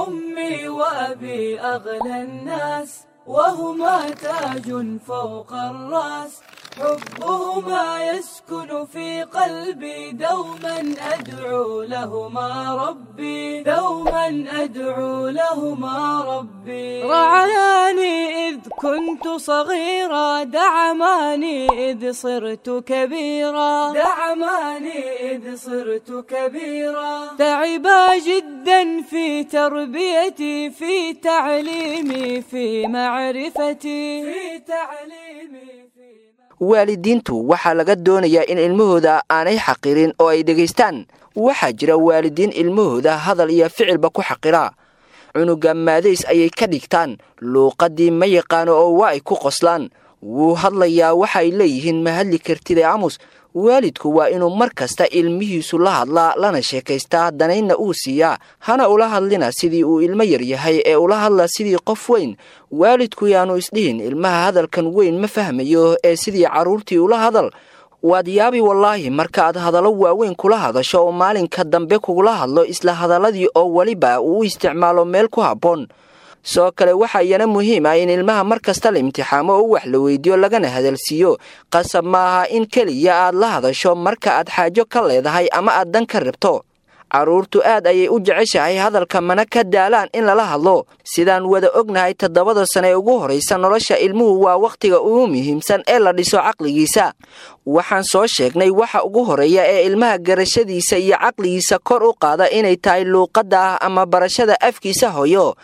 أمي وأبي أغلى الناس، وهما تاج فوق الرأس، حبهما يسكن في قلبي، دوما أدعو لهما ربي، دوما أدعو لهما ربي. رعاني إذ كنت صغيرا، دعماني إذ صرت كبيرا، دعماني إذ صرت كبيرا. تعبا جدا في تربيتي، في تعليمي، في معرفتي، في تعليمي. Waalidiintu waxaa laga doonayaa in ilmahooda aanay xaqirin oo ay dhegaystaan. Waxaa jira waalidiin ilmahooda hadal iyo ficilba ku xaqira. Cunuga maadays ayay ka dhigtaan, luuqaddii ma yaqaano oo waa ay ku qoslaan. Wuu hadlayaa, waxay leeyihiin ma hadli kartid ee amus. Waalidku waa inuu mar kasta ilmihiisu la hadlaa, lana sheekaystaa, danaynna uu siiyaa. Hana ula hadlina sidii uu ilmo yar yahay ee ula hadla sidii qof weyn. Waalidku yaanu isdhihin ilmaha hadalkan weyn ma fahmayo ee sidii carruurtii ula hadal. Waad yaabi wallaahi markaaad hadallo waaweyn kula hadasho oo maalinka dambe kugula hadlo isla hadalladii oo weliba uu u isticmaalo meel ku habboon. Sidoo kale waxaa iyana muhiim ah in ilmaha mar kasta la imtixaamo oo wax la weydiiyo, lagana hadalsiiyo. Qasab maaha in keliya aad la hadasho marka aad xaajo ka leedahay ama aad dan ka rabto. Carruurtu aad ayay u jeceshahay hadalka, mana ka daalaan in lala hadlo. Sidaan wada ognahay, 7da sane ee ugu horraysa nolosha ilmuhu waa wakhtiga ugu muhiimsan ee la dhiso caqligiisa. Waxaan soo sheegnay waxa ugu horreeya ee ilmaha garashadiisa iyo caqligiisa kor u qaada inay tahay luuqadda ah ama barashada afkiisa hooyo.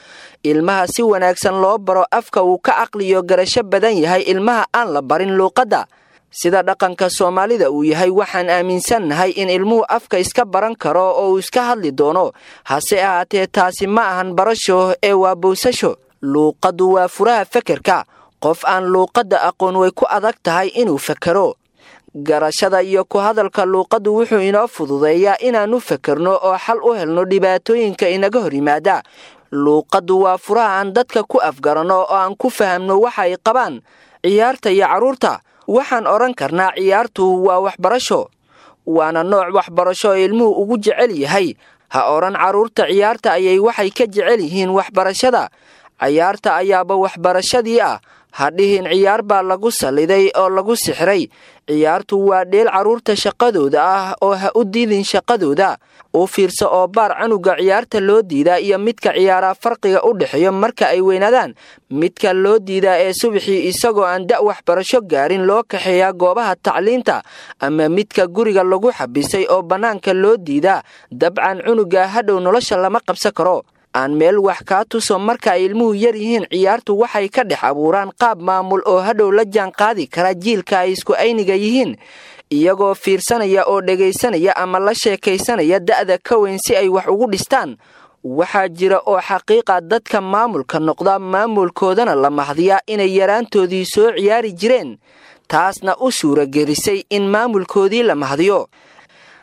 Ilmaha si wanaagsan loo baro afka uu ka caqliyo garasho badan yahay ilmaha aan la barin luuqadda. Sida dhaqanka Soomaalida uu yahay, waxaan aaminsannahay in ilmuhu afka iska baran karo oo uu iska hadli doono. Hase ahaatee taasi ma ahan barasho ee waa bowsasho. Luuqaddu waa furaha fekerka. Qof aan luuqadda aqoon way ku adag tahay inuu fekero. Garashada iyo ku hadalka luuqaddu wuxuu inoo fududeeyaa inaannu fekerno oo xal u helno dhibaatooyinka inaga hor yimaada. Luuqaddu waa furaha aan dadka ku afgaranno oo aan ku fahamno waxa ay qabaan. Ciyaarta iyo carruurta, waxaan odhan karnaa ciyaartu waa waxbarasho, waana nooc waxbarasho oo ilmuhu ugu jecel yahay. Ha odhan carruurta ciyaarta ayay waxay ka jecel yihiin waxbarashada. Ciyaarta ayaaba waxbarashadii ah. Ha dhihin ciyaar baa lagu salliday oo lagu sixray. Ciyaartu waa dheel carruurta shaqadooda ah oo ha u diidin shaqadooda. U fiirso oo baar canuga ciyaarta loo diidaa iyo midka ciyaaraa farqiga u dhexeeyo marka ay weynaadaan. Midka loo diidaa ee subaxii isagoo aan da' waxbarasho gaarin loo kaxeeyaa goobaha tacliinta, ama midka guriga lagu xabisay oo bannaanka loo diidaa, dabcan cunuga hadhow nolosha lama qabsan karo. Aan meel wax kaa tuso, marka ay ilmuhu yar yihiin ciyaartu waxay ka dhex abuuraan qaab maamul oo hadhow la jaan qaadi kara jiilka ay isku ayniga yihiin, iyagoo fiirsanaya oo dhegaysanaya ama la sheekaysanaya da'da ka weyn si ay wax ugu dhistaan. Waxaa jira oo xaqiiqa dadka maamulka noqda maamulkoodana la mahdiyaa inay yaraantoodii soo ciyaari jireen, taasna u suuragelisay in maamulkoodii la mahdiyo.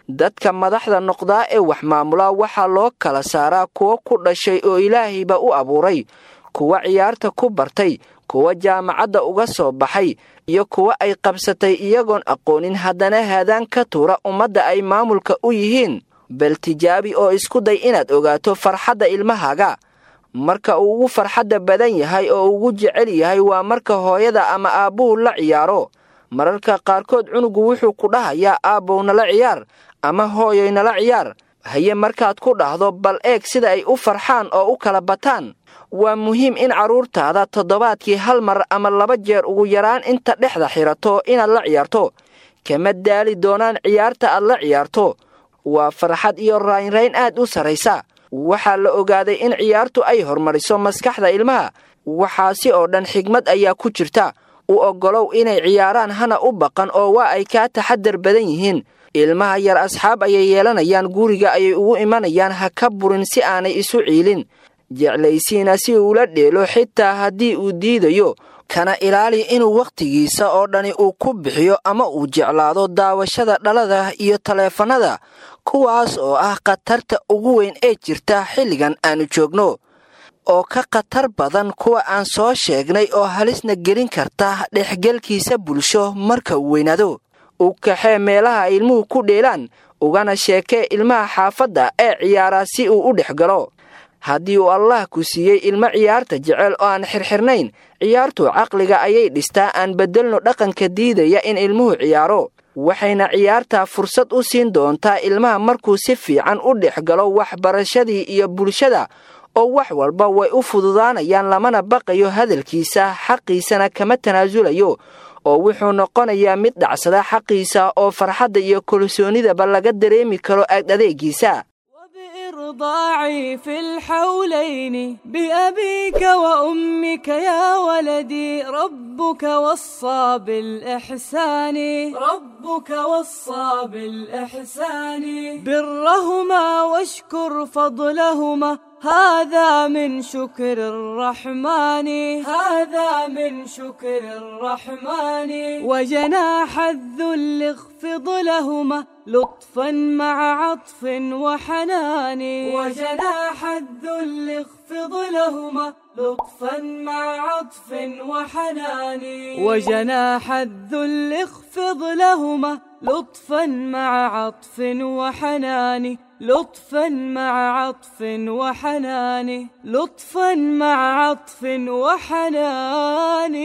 Dadka madaxda noqdaa ee wax maamula waxaa loo kala saaraa kuwo ku dhashay oo ilaahayba u abuuray, kuwa ciyaarta ku bartay, kuwa jaamacadda uga soo baxay, iyo kuwa ay qabsatay iyagoon aqoonin haddana haadaan ka tuura ummadda ay maamulka u yihiin. Bal tijaabi oo isku day inaad ogaato farxadda ilmahaaga. Marka uu ugu farxadda badan yahay oo ugu jecel yahay waa marka hooyada ama aabbuhu la ciyaaro. Mararka qaarkood cunugu wuxuu ku dhahayaa aabbow nala ciyaar ama hooyoy nala ciyaar. Haye markaad ku dhahdo bal eeg sida ay u farxaan oo u kala bataan. Waa muhiim in carruurtaada toddobaadkii hal mar ama 2 jeer ugu yaraan inta dhexda xirato inaad la ciyaarto. Kama daali doonaan ciyaarta aad la ciyaarto. Waa farxad iyo raynrayn aad u sarraysa. Waxaa la ogaaday in ciyaartu ay horumariso maskaxda ilmaha. Waxaasi oo dhan xigmad ayaa ku jirta. U oggolow inay ciyaaraan, hana u baqan oo waa ay kaa taxadar badan yihiin. Ilmaha yar asxaab ayay yeelanayaan, guriga ayay ugu imanayaan, ha ka burin si aanay isu ciilin. Jeclaysiina si uula dheelo xitaa haddii uu diidayo. Kana ilaali inuu wakhtigiisa oo dhani uu ku bixiyo ama uu jeclaado daawashada dhalada iyo taleefannada, kuwaas oo ah khatarta ugu weyn ee jirta xilligan aanu joogno, oo ka khatar badan kuwa aan soo sheegnay oo halisna gelin karta dhexgelkiisa bulsho marka uu weynaado. U kaxee meelaha ay ilmuhu ku dheelaan, ugana sheekee ilmaha xaafadda ee ciyaaraa si uu u dhex galo. Haddii uu Allah ku siiyey ilmo ciyaarta jecel oo aan xirxirnayn, ciyaartu caqliga ayay dhistaa. Aan beddelno dhaqanka diidaya in ilmuhu ciyaaro, waxayna ciyaartaa fursad u siin doontaa ilmaha markuu si fiican u dhex galo waxbarashadii iyo bulshada, oo wax walba way u fududaanayaan, lamana baqayo hadalkiisa, xaqiisana kama tanaasulayo, oo wuxuu noqonayaa mid dhacsada xaqiisa oo farxadda iyo kalsoonidaba laga dareemi karo ag adeegiisa. وبإرضاعي في الحولين بأبيك وأمك يا ولدي ربك وصى بالإحسان، ربك وصى بالإحسان، برهما واشكر فضلهما، هذا من شكر الرحمن، هذا من شكر الرحمن. وجناح الذل اخفض لهما لطفا مع عطف وحنان، وجناح الذل اخفض لهما لطفا مع عطف وحنان، وجناح الذل اخفض لهما لطفا مع عطف وحنان، لطفا مع عطف وحنان، لطفا مع عطف وحنان.